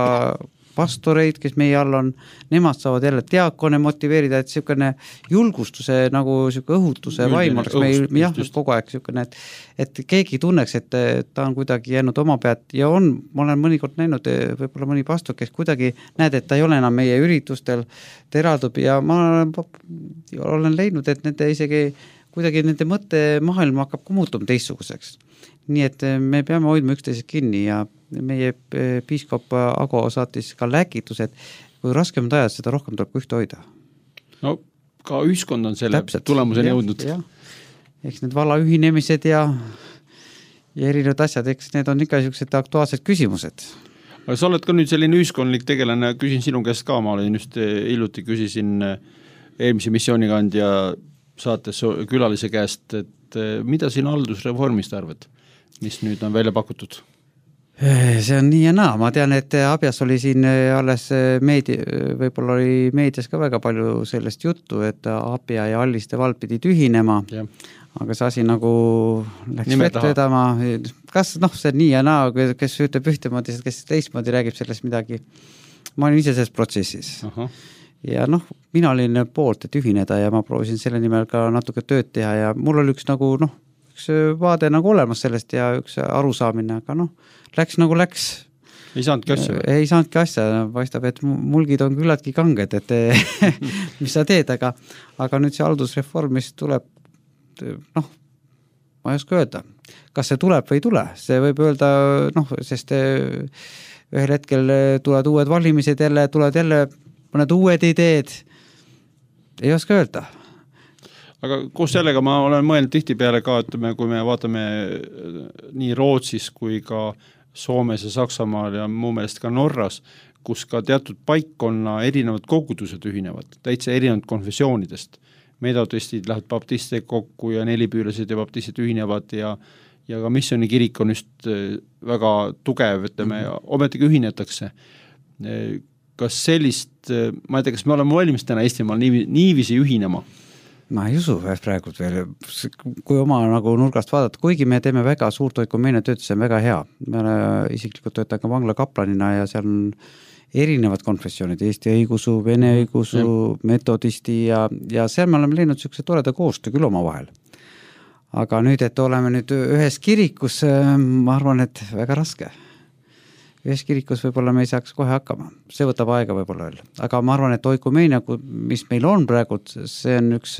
pastoreid, kes meie all on, nemad saavad jälle diakone motiveerida, et selline julgustuse nagu selline õhutuse vaim oleks meil kogu aeg selline, et keegi tunneks, et ta on kuidagi jäänud oma pead ja ma olen mõnikord näinud võib-olla mõni pastor, kes kuidagi näed, et ta ei ole enam meie üritustel, ta eraldub ja ma olen leidnud, et nende isegi kuidagi nende mõttemaailm hakkab ka muutuma teistsuguseks. Nii et me peame hoidma üksteisest kinni ja meie piiskop Ago saatis ka läkitus, et kui raskemad ajad, seda rohkem tuleb ühte hoida. No ka ühiskond on selle tulemuseni jõudnud. Eks need vallaühinemised ja erinevad asjad, eks need on ikka niisugused aktuaalsed küsimused. Aga sa oled ka nüüd selline ühiskondlik tegelane, küsin sinu käest ka, ma olin just hiljuti küsisin eelmise missioonikandja saates külalise käest, et mida siin haldusreformist arvad, mis nüüd on välja pakutud? See on nii ja naa, ma tean, et Abjas oli siin alles võib-olla oli meedias ka väga palju sellest juttu, et Abja ja Alliste vald pidid ühinema, aga see asi nagu läks vett vedama, kas see nii ja naa, kes ütleb ühtemoodi, kes teistmoodi räägib sellest midagi, ma olin ise selles protsessis. Ja mina olin poolt, et ühineda ja ma proovisin selle nimel ka natuke tööd teha ja mul oli üks üks vaade olemas sellest ja üks arusaamine, aga läks nagu läks. Ei saanudki asja? Ei saanudki asja, paistab, et mulgid on küllaltki kanged, et mis sa teed, aga nüüd see haldusreform, mis tuleb, ma ei oska öelda, kas see tuleb või ei tule, see võib öelda, sest ühel hetkel tulevad uued valimised jälle, tulevad jälle mõned uued ideed, ei oska öelda. Aga koos sellega ma olen mõelnud tihtipeale ka, kui me vaatame nii Rootsis kui ka Soomes ja Saksamaal ja muu meelest ka Norras, kus ka teatud paikkonna erinevad kogudused ühinevad, täitsa erinevad konfessioonidest. Metodistid lähevad baptistid kokku ja nelipüülased ja baptistid ühinevad ja ka missioni kirik on just väga tugev, ometigi ühinetakse. Kas sellist, ma ei tea, kas me oleme valmis täna Eestimaal niivisi ühinema? Ma ei usu praegu veel, kui oma nurgast vaadata, kuigi me teeme väga suurt oikumeene tööd, see on väga hea. Me isiklikult töötan ka vangla kaplanina ja seal on erinevad konfessioonid, Eesti õigusu, Vene õigusu, metodisti ja seal me oleme leidnud niisuguse toreda koostöö küll oma vahel. Aga nüüd, et oleme nüüd ühes kirikus, ma arvan, et väga raske. Ühes kirikus võib-olla me ei saaks kohe hakkama. See võtab aega võib-olla veel. Aga ma arvan, et oikumeenia, mis meil on praegu, see on üks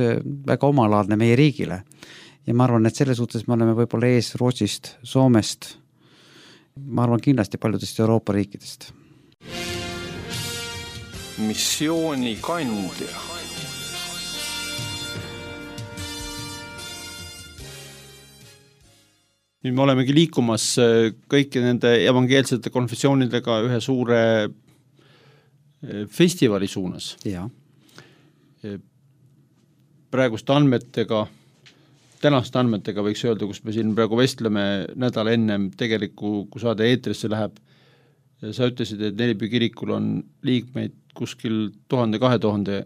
väga omalaadne meie riigile. Ja ma arvan, et selles suhtes me oleme võib-olla ees Rootsist, Soomest, ma arvan kindlasti paljudest Euroopa riikidest. Missioonikandja. Nüüd me olemegi liikumas kõiki nende evangeelsete konfessioonidega ühe suure festivali suunas. Ja. Praeguste andmetega, tänaste andmetega võiks öelda, kus me siin praegu vestleme nädal ennem tegeliku, kui saade eetrisse läheb. Sa ütlesid, et Nelipüü kirikul on liikmeid kuskil 1000-2000.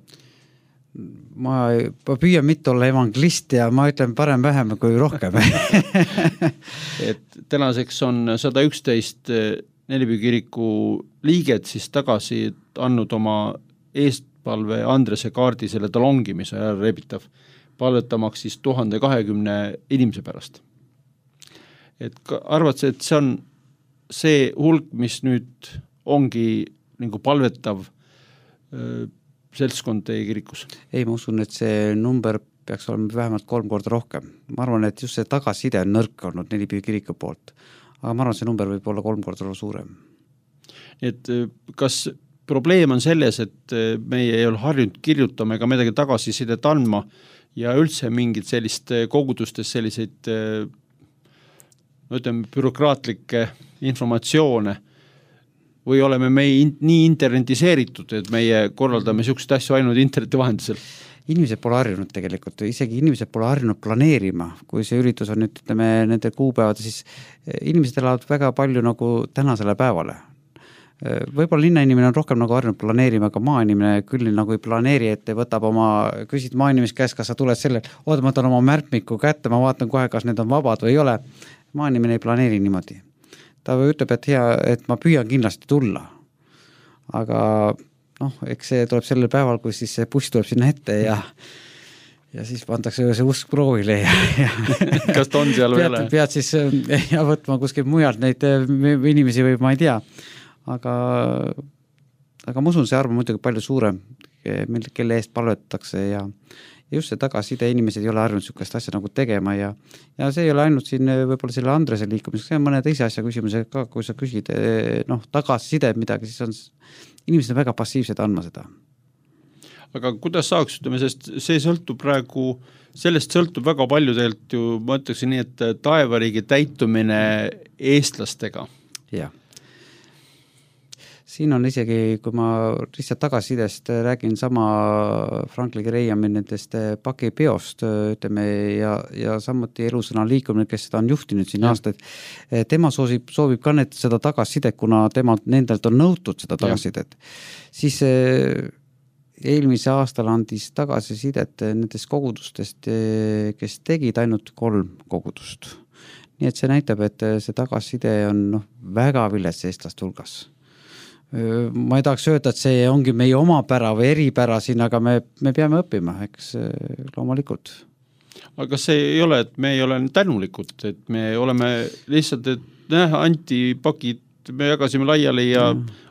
Ma püüan mitte olla evangelist ja ma ütlen parem vähem kui rohkem. Et tänaseks on 111 Nelipüü kiriku liiget siis tagasi andnud oma eestpalve Andrese kaardi selle talongi, mis on rebitav, palvetamaks siis 1020 inimese pärast. Et arvad see, et see on see hulk, mis nüüd ongi nagu palvetav seltskond teie kirikus? Ei, ma usun, et see number peaks olema vähemalt 3 korda rohkem. Ma arvan, et just see tagasiside on nõrk olnud Nelipüü kiriku poolt. Aga ma arvan, see number võib olla 3 korda suurem. Et kas probleem on selles, et meie ei ole harjunud kirjutama ega midagi tagasisidet andma ja üldse mingid sellist kogudustes selliseid bürokraatlikke informatsioone või oleme me nii internetiseeritud, et meie korraldame niisugust asju ainult interneti vahendusel? Inimesed pole harjunud tegelikult, isegi inimesed pole harjunud planeerima, kui see üritus on nüüd, ütleme, nende kuupäevad, siis inimesed elavad väga palju nagu tänasele päevale. Võib-olla linnainimene on rohkem nagu harjunud planeerima, aga maainimene küll nagu ei planeeri, et võtab küsid maainimest käest, kas sa tuled selle, ma võtan oma märkmiku kätte, ma vaatan kohe, kas need on vabad või ei ole. Maainimene ei planeeri niimoodi. Ta ütleb, et ma püüan kindlasti tulla. Aga eks see tuleb sellel päeval, kui siis see buss tuleb sinna ette ja siis pandakse see usk proovile ja kas ta on seal või ole? Pead siis võtma kuskil mujalt neid inimesi või ma ei tea. Aga ma usun, see arv on muidugi palju suurem, kelle eest palvetatakse ja just see tagasiside inimesed ei ole harjunud niisugust asja nagu tegema ja see ei ole ainult siin võib-olla selle Andrese liikumiseks, see on mõne teise asja küsimuse ka, kui sa küsid tagasiside midagi, siis on inimesed väga passiivsed andma seda. aga kuidas saaks, ütleme, sest see sõltub praegu, sellest sõltub väga palju tegelikult ju, ma ütleksin nii, et taevariigi täitumine eestlastega. Jah. Siin on isegi, kui ma lihtsalt tagasisidest räägin sama Franklin Grahami nendest pakipeost, ütleme, ja samuti Elusõna liikumine, kes seda on juhtinud siin aastaid, tema soovib ka seda tagasisidet, kuna nendelt on nõutud seda tagasisidet. Siis eelmise aastal andis tagasisidet nendest kogudustest, kes tegid ainult 3 kogudust. Nii et see näitab, et see tagasiside on väga vilets eestlaste hulgas. Ma ei tahaks öelda, et see ongi meie omapära või eripära siin, aga me peame õppima, eks loomulikult. Aga kas see ei ole, et me ei ole tänulikud, et me oleme lihtsalt, et anti pakid, me jagasime laiali ja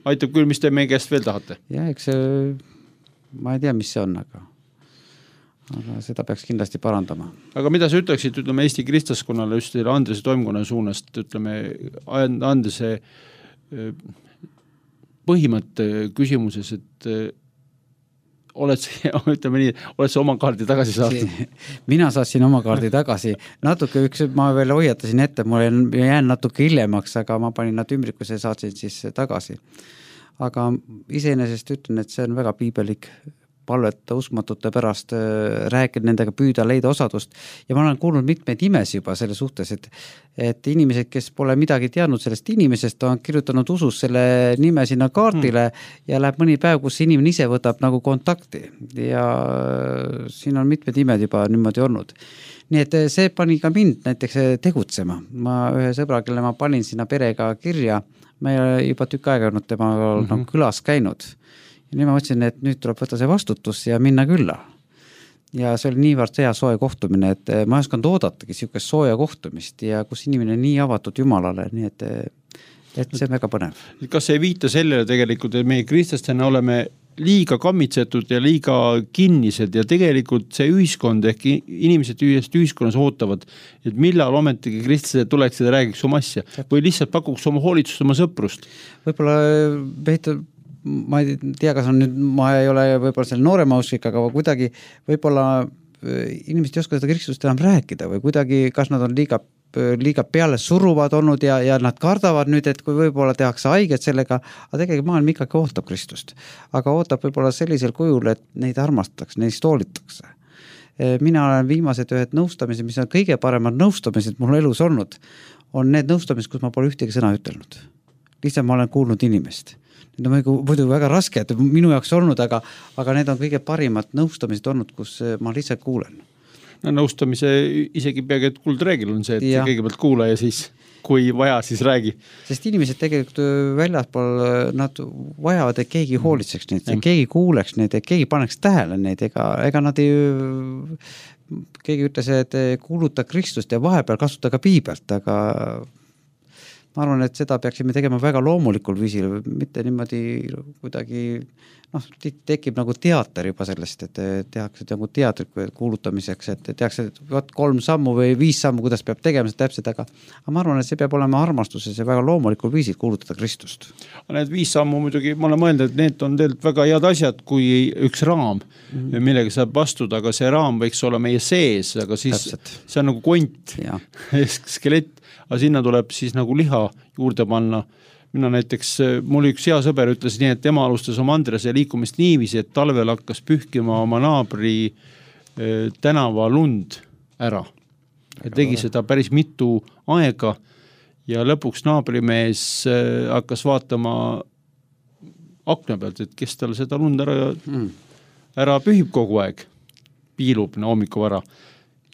aitab küll, mis te meie käest veel tahate? Ja, eks ma ei tea, mis see on, aga seda peaks kindlasti parandama. Aga mida sa ütleksid, ütleme, Eesti kristlaskonnale just Andrese toimkonna suunast, ütleme, Andrese põhimõtte küsimuses, et oled sa oma kaardi tagasi saanud? Mina saatsin oma kaardi tagasi. Natuke ma veel hoiatasin ette, ma jään natuke hiljemaks, aga ma panin nad ümbrikuse ja saatsin siis tagasi. Aga iseenesest ütlen, et see on väga piibelik palveta uskmatute pärast, rääkida nendega, püüda leida osadust. Ja ma olen kuulnud mitmeid imesi juba selle suhtes, et inimesed, kes pole midagi teadnud sellest inimesest, on kirjutanud usus selle nime sinna kaardile ja läheb mõni päev, kus inimene ise võtab nagu kontakti. Ja siin on mitmed imed juba niimoodi olnud. Nii et see pani ka mind näiteks tegutsema. Ma ühe sõbra, kelle ma panin sinna perega kirja, ma ei juba tükk aega olnud tema külas käinud. Ja nüüd ma mõtlesin, et nüüd tuleb võtta see vastutus ja minna külla. Ja see oli niivõrd hea soe kohtumine, et ma ei osanud oodatagi siukest sooja kohtumist ja kus inimene nii avatud Jumalale, nii et see on väga põnev. Kas ei viita sellele tegelikult, et meie kristlastena oleme liiga kammitsetud ja liiga kinnised ja tegelikult see ühiskond ehk inimesed ühiskonnas ootavad, et millal ometigi kristlased tuleksid ja räägiks oma asja või lihtsalt pakuks oma hoolitsust, oma sõprust? Võib-olla ma ei tea, kas on nüüd, ma ei ole võib-olla selle noorema usklik, aga kuidagi võib-olla inimesed ei oska seda Kristust enam rääkida või kuidagi, kas nad on liiga peale suruvad olnud ja nad kardavad nüüd, et kui võib-olla tehakse haiget sellega, aga tegelikult maailm ikkagi ootab Kristust. Aga ootab võib-olla sellisel kujul, et neid armastatakse, neist hoolitakse. Mina olen viimased ühed nõustamised, mis on kõige paremad nõustamised mul elus olnud, on need nõustamised, kus ma pole ühtegi sõna ütelnud. Lihtsalt ma olen kuulnud inimest. Need on muidu väga raske, et minu jaoks olnud, aga need on kõige parimad nõustamised olnud, kus ma lihtsalt kuulen. No, nõustamise isegi peagi, et kuldreegel on see, et kõigepealt kuula ja siis, kui vaja, siis räägi. Sest inimesed tegelikult väljaspool, nad vajavad, et keegi hoolitseks neid, et keegi kuuleks neid, et keegi paneks tähele neid, ega nad ei, keegi ütles, et kuuluta Kristust ja vahepeal kasuta ka piibelt, aga ma arvan, et seda peaksime tegema väga loomulikul viisil, mitte niimoodi kuidagi, tekib nagu teater juba sellest, et tehakse nagu teatri kuulutamiseks, et tehakse 3 sammu või 5 sammu, kuidas peab tegema seda täpselt, aga ma arvan, et see peab olema armastuses ja väga loomulikul viisil kuulutada Kristust. Need 5 sammu muidugi, ma olen mõelnud, et need on tegelikult väga head asjad, kui üks raam, millega saab vastuda, aga see raam võiks olla meie sees, aga siis see on nagu kont, skelett, aga sinna tuleb siis nagu liha juurde panna. Mina näiteks, mul üks hea sõber ütles nii, et tema alustas oma Andrese liikumist niiviisi, et talvel hakkas pühkima oma naabri tänava lund ära. Ja tegi seda päris mitu aega ja lõpuks naabrimees hakkas vaatama akna pealt, et kes tal seda lund ära pühib kogu aeg, piilub hommikuvara.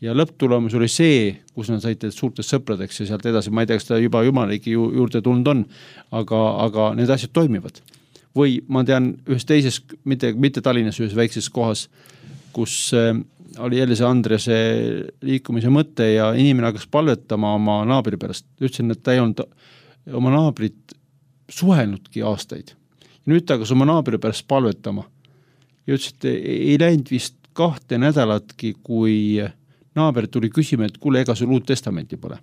Ja lõpptulemus oli see, kus nad said suurtest sõpradeks ja sealt edasi, ma ei tea, kas ta juba jumaliki juurde tulnud on, aga need asjad toimivad. Või ma tean ühes teises, mitte Tallinnas ühes väikses kohas, kus oli jälle see Andrese liikumise mõte ja inimene hakkas palvetama oma naabri pärast. Ütlesin, et ta ei olnud oma naabrit suhelnudki aastaid. Ja nüüd ta hakkas oma naabri pärast palvetama. Ja ütles, et ei läinud vist 2 nädalatki, kui naaber tuli küsima, et kuule, ega sul uut testamenti pole.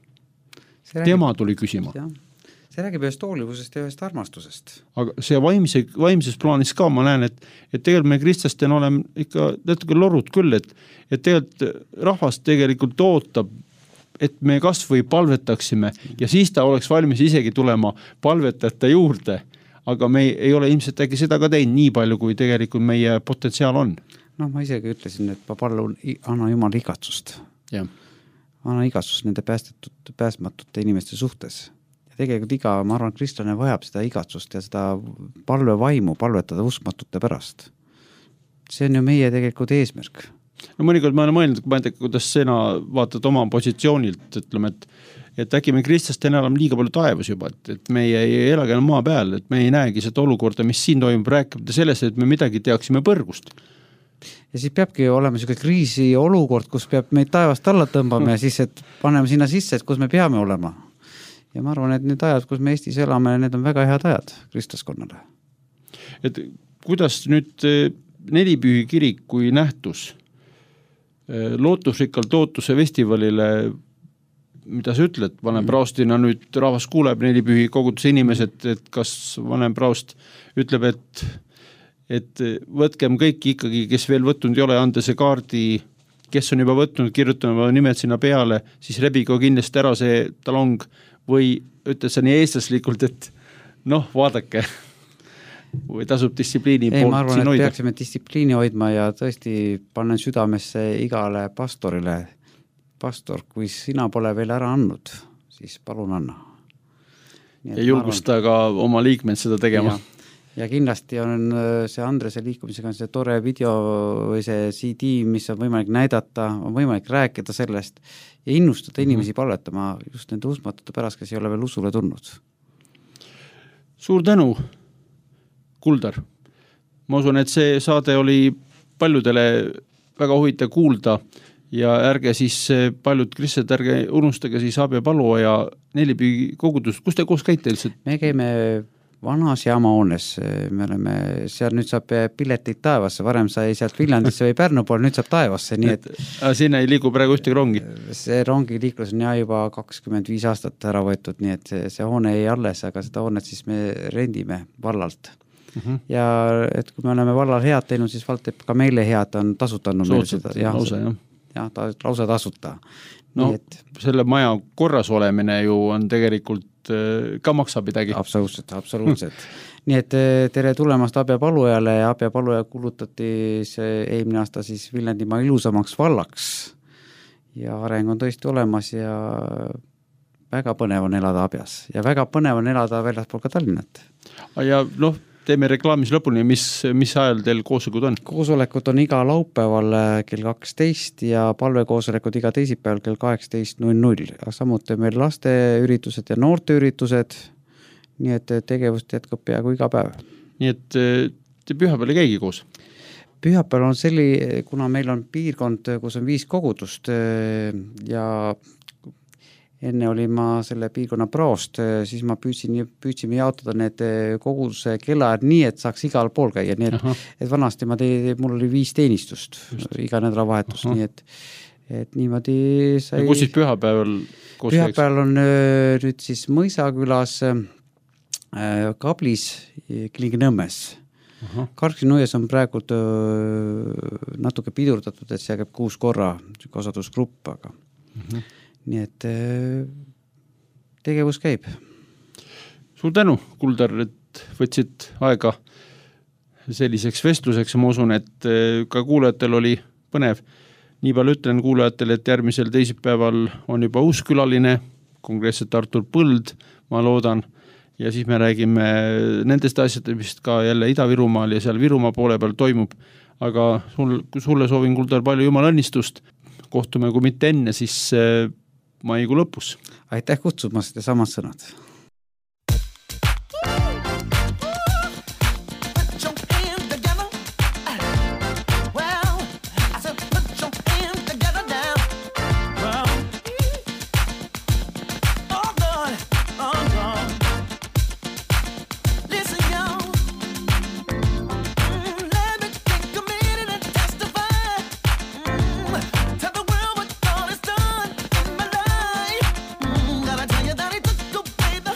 Tema tuli küsima. see räägib ühest hoolivusest ja ühest armastusest. Aga see vaimses plaanis ka ma näen, et tegelikult me kristlastena oleme ikka natuke lorud küll, et tegelikult rahvas tegelikult ootab, et me kas või palvetaksime ja siis ta oleks valmis isegi tulema palvetajate juurde, aga me ei ole ilmselt äkki seda ka teinud nii palju, kui tegelikult meie potentsiaal on. Ma isegi ütlesin, et ma palun anna Jumal igatsust. Ja. Anna igatsust nende päästmatute inimeste suhtes. Ja tegelikult ma arvan, kristlane vajab seda igatsust ja seda palvevaimu palvetada uskmatute pärast. See on ju meie tegelikult eesmärk. No mõnikord ma olen mõelnud, ma ei tea, kuidas sina vaatad oma positsioonilt, ütleme, et äkki me kristlastena elame liiga palju taevas juba, et me ei elagi enam maa peal, et me ei näegi seda olukorda, mis siin toimub, rääkida sellest, et me midagi teaksime põrgust. Ja siis peabki olema selline kriisi olukord, kus peab meid taevast alla tõmbama ja siis, et paneme sinna sisse, et kus me peame olema. Ja ma arvan, et need ajad, kus me Eestis elame, need on väga head ajad kristlaskonnale. Et kuidas nüüd Nelipühi kirik kui nähtus lootusrikkalt Lootuse festivalile, mida sa ütled, vanem praostina nüüd rahvas kuuleb Nelipühi koguduse inimesed, et kas vanem praost ütleb, et võtkem kõik ikkagi, kes veel võtnud ei ole, anda see kaardi, kes on juba võtnud, kirjutame nimed sinna peale, siis rebigo kindlasti ära see talong või ütled sa nii eestlaslikult, et vaadake, või tasub distsipliini poolt ma arvan, siin et hoida. peaksime distsipliini hoidma ja tõesti panen südamesse igale pastorile. Pastor, kui sina pole veel ära andnud, siis palun anna. Ja julgusta ka oma liikmed seda tegema. Ja kindlasti on see Andrese liikumisega on see tore video või see CD, mis on võimalik näidata, on võimalik rääkida sellest ja innustada inimesi palvetama just nende uskmatute pärast, kes ei ole veel usule tulnud. Suur tänu, Kuldar. Ma usun, et see saade oli paljudele väga huvitav kuulda ja ärge siis paljud kristlased, ärge unustage siis Abja Palua ja Nelipühi kogudust. Kus te koos käite lihtsalt? Me käime vanas jaamahoones, me oleme seal, nüüd saab pileteid taevasse, varem sai sealt Viljandisse või Pärnu pool, nüüd saab taevasse, nii et sinna ei liigu praegu ühtegi rongi? See rongi liiklus on juba 25 aastat ära võetud, nii et see hoone ei alles, aga seda hoonet siis me rendime vallalt. Ja et kui me oleme vallal head teinud, siis vald teeb ka meile head, on tasutanud meile seda. Lausa tasuta. Selle maja korras olemine ju on tegelikult ka maksab midagi. Absoluutselt. Nii et tere tulemast Abja Palujale ja Abja Paluja kulutati see eelmine aasta siis Viljandimaa ilusamaks vallaks ja areng on tõesti olemas ja väga põnev on elada Abjas ja väga põnev on elada väljaspool ka Tallinnat. Ja teeme reklaamis lõpuni, mis ajal teil koosolekud on? Koosolekud on iga laupäeval kell 12 ja palvekoosolekud iga teisipäeval kell 18.00. Samuti meil lasteüritused ja noorteüritused, nii et tegevust jätkub peaaegu iga päev. Nii et te pühapäeval ei käigi koos? Pühapäeval on kuna meil on piirkond, kus on 5 kogudust ja enne oli ma selle piirkonna praost, siis ma püüdsime jaotada need koguduse kellaajad nii, et saaks igal pool käia, nii et vanasti mul oli 5 teenistust iga nädalavahetus, nii et niimoodi sai. Ja kus siis pühapäeval koos käiks? Pühapäeval on nüüd siis Mõisakülas, Kablis, Klinginõmmes. Karksinuies on praegu natuke pidurdatud, et see käib 6 korra kasvatusgrupp, aga nii et tegevus käib. Suur tänu, Kuldar, et võtsid aega selliseks vestluseks ja ma usun, et ka kuulajatel oli põnev. Nii palju ütlen kuulajatel, et järgmisel teisipäeval on juba uus külaline, konkreetselt Artur Põld, ma loodan, ja siis me räägime nendest asjadest, mis ka jälle Ida-Virumaal ja seal Virumaa poole peal toimub, aga sulle soovin, Kuldar, palju jumala õnnistust. Kohtume, kui mitte enne, siis maikuu lõpus. Aitäh kutsumast ja samad sõnad. That he took away the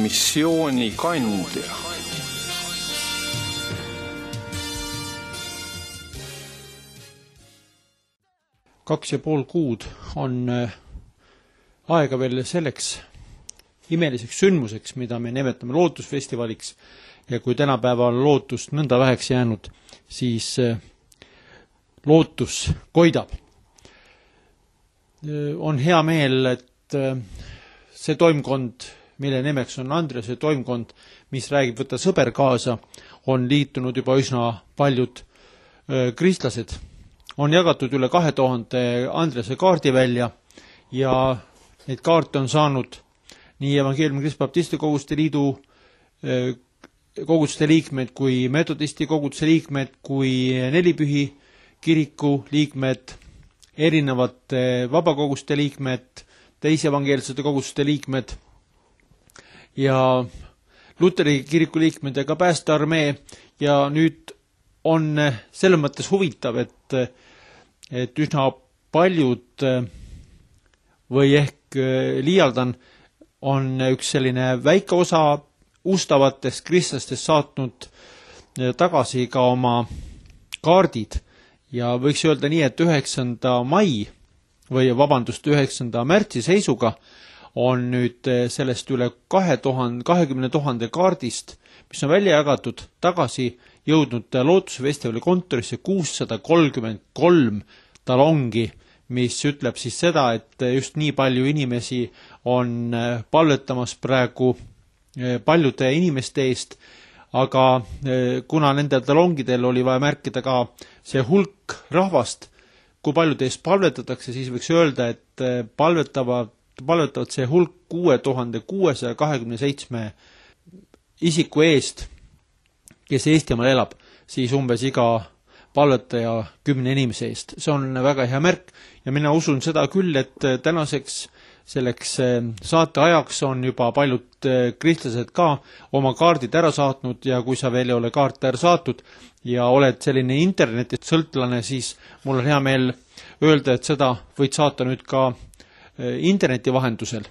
missioonikandja. Kaks ja pool kuud on aega veel selleks imeliseks sündmuseks, mida me nimetame lootusfestivaliks, ja kui tänapäeval lootust nõnda väheks jäänud, siis lootus koidab. On hea meel, et see toimkond, mille nimeks on Andrease toimkond, mis räägib võtta sõber kaasa, on liitunud juba üsna paljud kristlased. On jagatud üle 2000 Andrease kaardi välja ja neid kaarte on saanud nii Evangeeliumi Kristbaptisti koguduste liidu koguduste liikmed kui metodisti koguduse liikmed kui Nelipühi kiriku liikmed, erinevate vabakoguste liikmed, teisi evangeelsete koguduste liikmed ja Luteri kiriku liikmed ja ka päästearmee. Ja nüüd on selles mõttes huvitav, et üsna paljud või ehk liialdan on üks selline väike osa ustavatest kristlastest saatnud tagasi ka oma kaardid ja võiks öelda nii, et 9. mai või 9. märtsi seisuga on nüüd sellest üle 20 000 kaardist, mis on välja jagatud, tagasi jõudnud Lootusfestivali kontorisse 633 talongi, mis ütleb siis seda, et just nii palju inimesi on palvetamas praegu paljude inimeste eest, aga kuna nendel talongidel oli vaja märkida ka see hulk rahvast, kui paljude eest palvetatakse, siis võiks öelda, et palvetavad see hulk 6627 isiku eest, kes Eestimaal elab, siis umbes iga palvetaja 10 inimese eest. See on väga hea märk ja mina usun seda küll, et tänaseks selleks saate ajaks on juba paljud kristlased ka oma kaardid ära saatnud ja kui sa veel ei ole kaarte ära saatud ja oled selline internetist sõltlane, siis mul on hea meel öelda, et seda võid saata nüüd ka interneti vahendusel.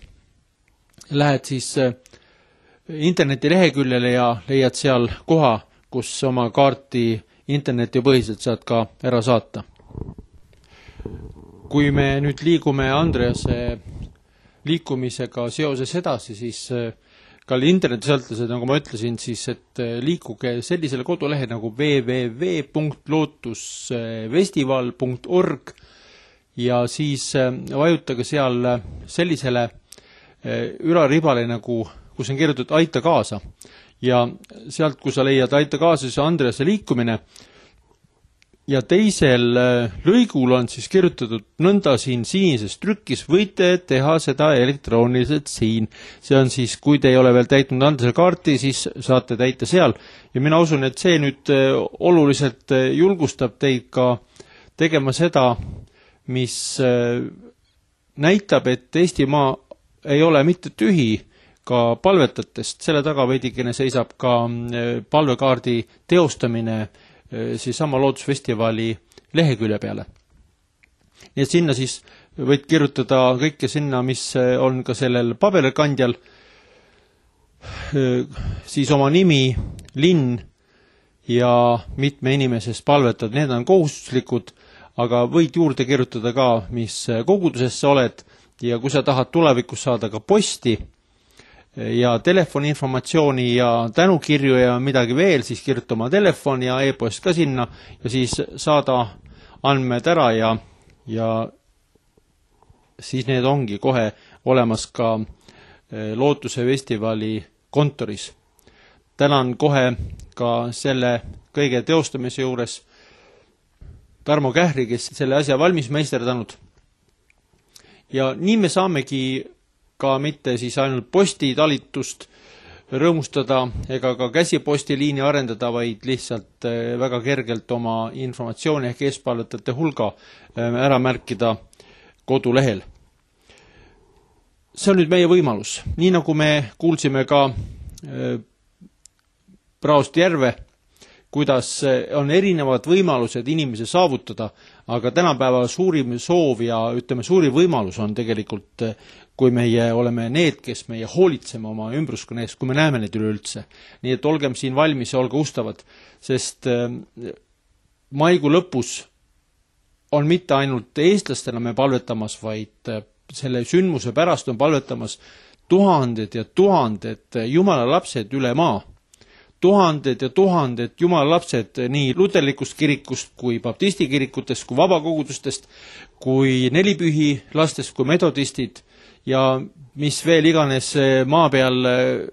Lähed siis interneti leheküljele ja leiad seal koha, kus oma kaarti internetipõhiselt saad ka ära saata. Kui me nüüd liigume Andrease liikumisega seoses edasi, siis ka internetisõltlased, nagu ma ütlesin, siis et liikuge sellisele kodulehe nagu www.lootusfestival.org ja siis vajutage seal sellisele ülaribale, nagu, kus on kirjutatud Aita kaasa. Ja sealt, kui sa leiad Aita kaasa, siis Andrease liikumine ja teisel lõigul on siis kirjutatud nõnda siin sinises trükis, võite teha seda elektrooniliselt siin. See on siis, kui te ei ole veel täitnud Andrease kaarti, siis saate täita seal. Ja mina usun, et see nüüd oluliselt julgustab teid ka tegema seda, mis näitab, et Eestimaa ei ole mitte tühi ka palvetatest. Selle taga veidikene seisab ka palvekaardi teostamine siis sama Lootusfestivali lehekülje peale. Nii et sinna siis võid kirjutada kõike sinna, mis on ka sellel paberikandjal, siis oma nimi, linn ja mitme inimesest palvetad. Need on kohustuslikud, aga võid juurde kirjutada ka, mis koguduses sa oled ja kui sa tahad tulevikus saada ka posti ja telefoni informatsiooni ja tänukirju ja midagi veel, siis kirjuta oma telefon ja e-post ka sinna ja siis saada andmed ära ja siis need ongi kohe olemas ka Lootuse festivali kontoris. Tänan kohe ka selle kõige teostamise juures Tarmo Kähri, kes selle asja valmis meisterdanud. Ja nii me saamegi ka mitte siis ainult postitalitust rõõmustada ega ka käsipostiliini arendada, vaid lihtsalt väga kergelt oma informatsiooni ehk eespalvetajate hulga ära märkida kodulehel. See on nüüd meie võimalus. Nii nagu me kuulsime ka Praost Järve, kuidas on erinevad võimalused inimese saavutada, aga tänapäeva suurim soov ja ütleme, suurim võimalus on tegelikult, kui meie oleme need, kes meie hoolitseme oma ümbruskonna eest, kui me näeme neid üleüldse. Nii et olgem siin valmis ja olge ustavad, sest maikuu lõpus on mitte ainult eestlastena me palvetamas, vaid selle sündmuse pärast on palvetamas tuhanded ja tuhanded Jumala lapsed üle maa. Tuhanded ja tuhanded Jumala lapsed nii luterlikust kirikust kui baptisti kirikutest, kui vabakogudustest, kui nelipühi lastest, kui metodistid ja mis veel iganes maa peal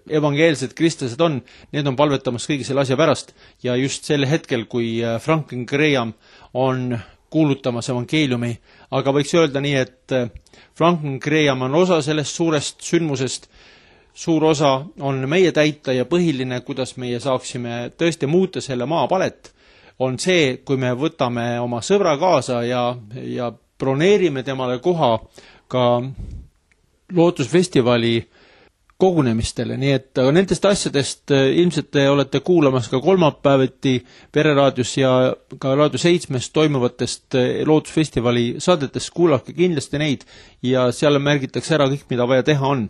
evangeelsed kristlased on, need on palvetamas kõigi selle asja pärast. Ja just sel hetkel, kui Franklin Graham on kuulutamas evangeeliumi, aga võiks öelda nii, et Franklin Graham on osa sellest suurest sündmusest, suur osa on meie täita ja põhiline, kuidas meie saaksime tõesti muuta selle maa palet, on see, kui me võtame oma sõbra kaasa ja broneerime temale koha ka lootusfestivali kogunemistele, nii et nendest asjadest ilmselt te olete kuulamas ka kolmapäeviti Pereraadios ja ka Raadio 7 toimuvatest lootusfestivali saadetest, kuulake kindlasti neid ja seal märgitakse ära kõik, mida vaja teha on.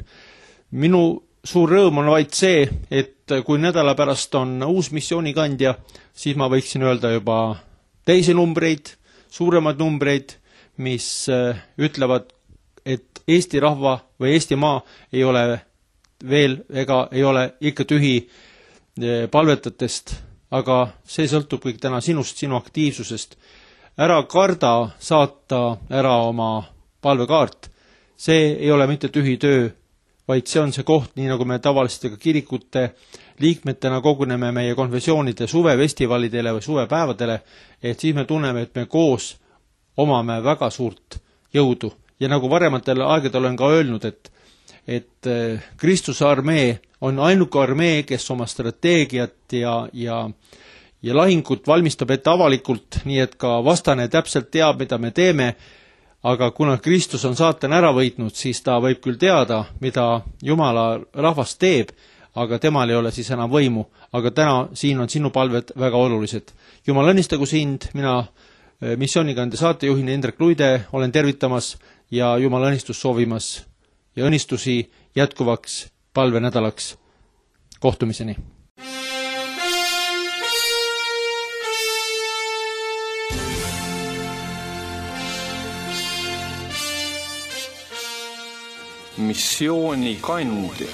Minu suur rõõm on vaid see, et kui nädala pärast on uus missioonikandja, siis ma võiksin öelda juba teisi numbreid, suuremaid numbreid, mis ütlevad, et Eesti rahva või Eesti maa ei ole veel ega ei ole ikka tühi palvetatest, aga see sõltub kõik täna sinust, sinu aktiivsusest. Ära karda saata ära oma palvekaart. See ei ole mitte tühi töö, vaid see on see koht, nii nagu me tavaliselt ka kirikute liikmetena koguneme meie konfessioonide suvefestivalidele või suvepäevadele, et siis me tunneme, et me koos omame väga suurt jõudu. Ja nagu varematel aegadel olen ka öelnud, et Kristuse armee on ainuke armee, kes oma strateegiat ja lahingut valmistab ette avalikult, nii et ka vastane täpselt teab, mida me teeme, aga kuna Kristus on saatan ära võitnud, siis ta võib küll teada, mida Jumala rahvas teeb, aga temal ei ole siis enam võimu. Aga täna siin on sinu palved väga olulised. Jumal õnnistagu sind, mina missioonikande saatejuhina Indrek Luide olen tervitamas ja Jumal õnnistus soovimas ja õnnistusi jätkuvaks palvenädalaks. Kohtumiseni! Missioonikandja.